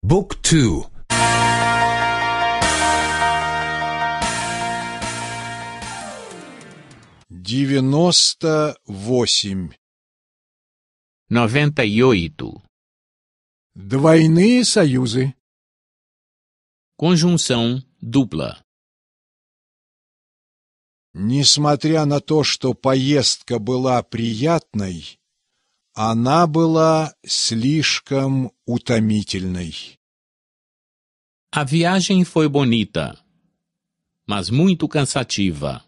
Book 2. 98. 98. Двойные союзы. Conjunção dupla. Несмотря на то, что поездка была приятной, она была слишком утомительной. A viagem foi bonita, mas muito cansativa.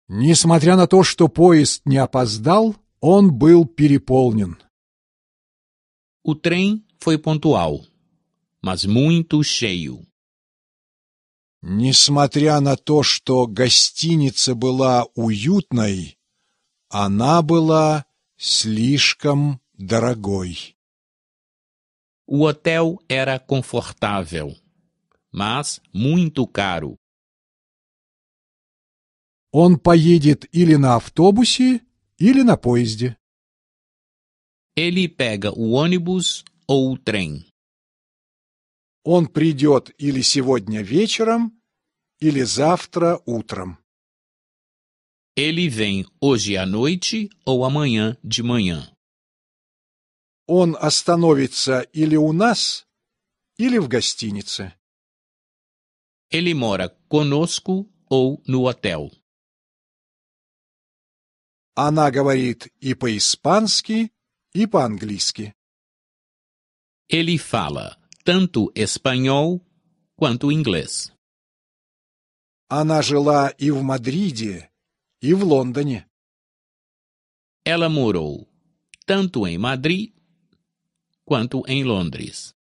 Несмотря на то, что поезд не опоздал, он был переполнен. O trem foi pontual, mas muito cheio. Несмотря на то, что гостиница была уютной, она была слишком дорогой. O hotel era confortável, mas muito caro. Он поедет или на автобусе, или на поезде. Ele pega o ônibus ou o trem. Он придет или сегодня вечером, или завтра утром. Ele vem hoje à noite ou amanhã de manhã. Он остановится или у нас, или в гостинице. Ele mora conosco ou no hotel. Она говорит и по-испански, и по-английски. Ele fala tanto espanhol quanto inglês. Она жила и в Мадриде, и в Лондоне. Ela morou tanto em Madrid quanto em Londres.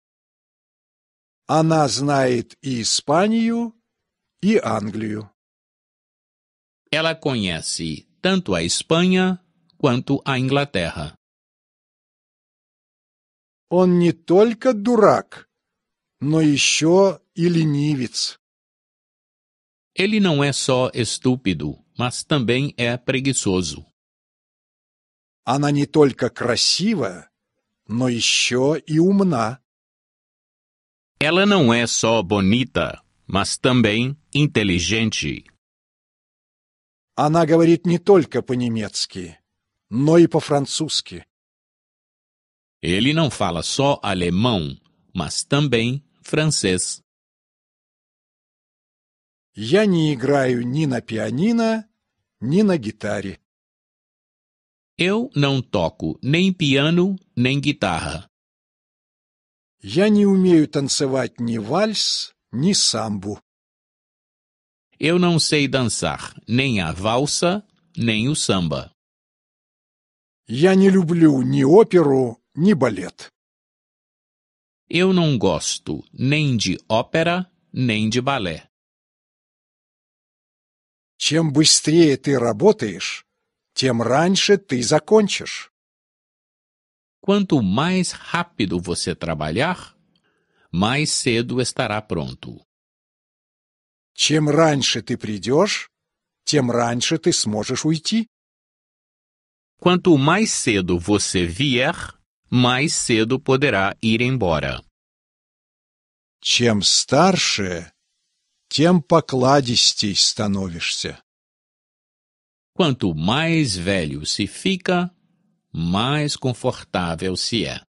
Она знает и Испанию, и Англию. Ela conhece tanto a Espanha quanto a Inglaterra. Он не только дурак, но еще и ленивец. Ele não é só estúpido, mas também é preguiçoso. Она не только красива, но еще и умна. Ela não é só bonita, mas também inteligente. Она говорит не только по-немецки, но и по-французски. Ele não fala só alemão, mas também francês. Я не играю ни на пианино, ни на гитаре. Eu não toco nem piano, nem guitarra. Я не умею танцевать ни вальс, ни самбу. Eu não sei dançar nem a valsa, nem o samba. Я не люблю ни оперу, ни балет. Eu não gosto nem de ópera, nem de balé. Чем быстрее ты работаешь, тем раньше ты закончишь. Quanto mais rápido você trabalhar, mais cedo estará pronto. Чем раньше ты придешь, тем раньше ты сможешь уйти. Quanto mais cedo você vier, mais cedo poderá ir embora. Чем старше, тем покладистей становишься. Quanto mais velho se fica, mais confortável se é.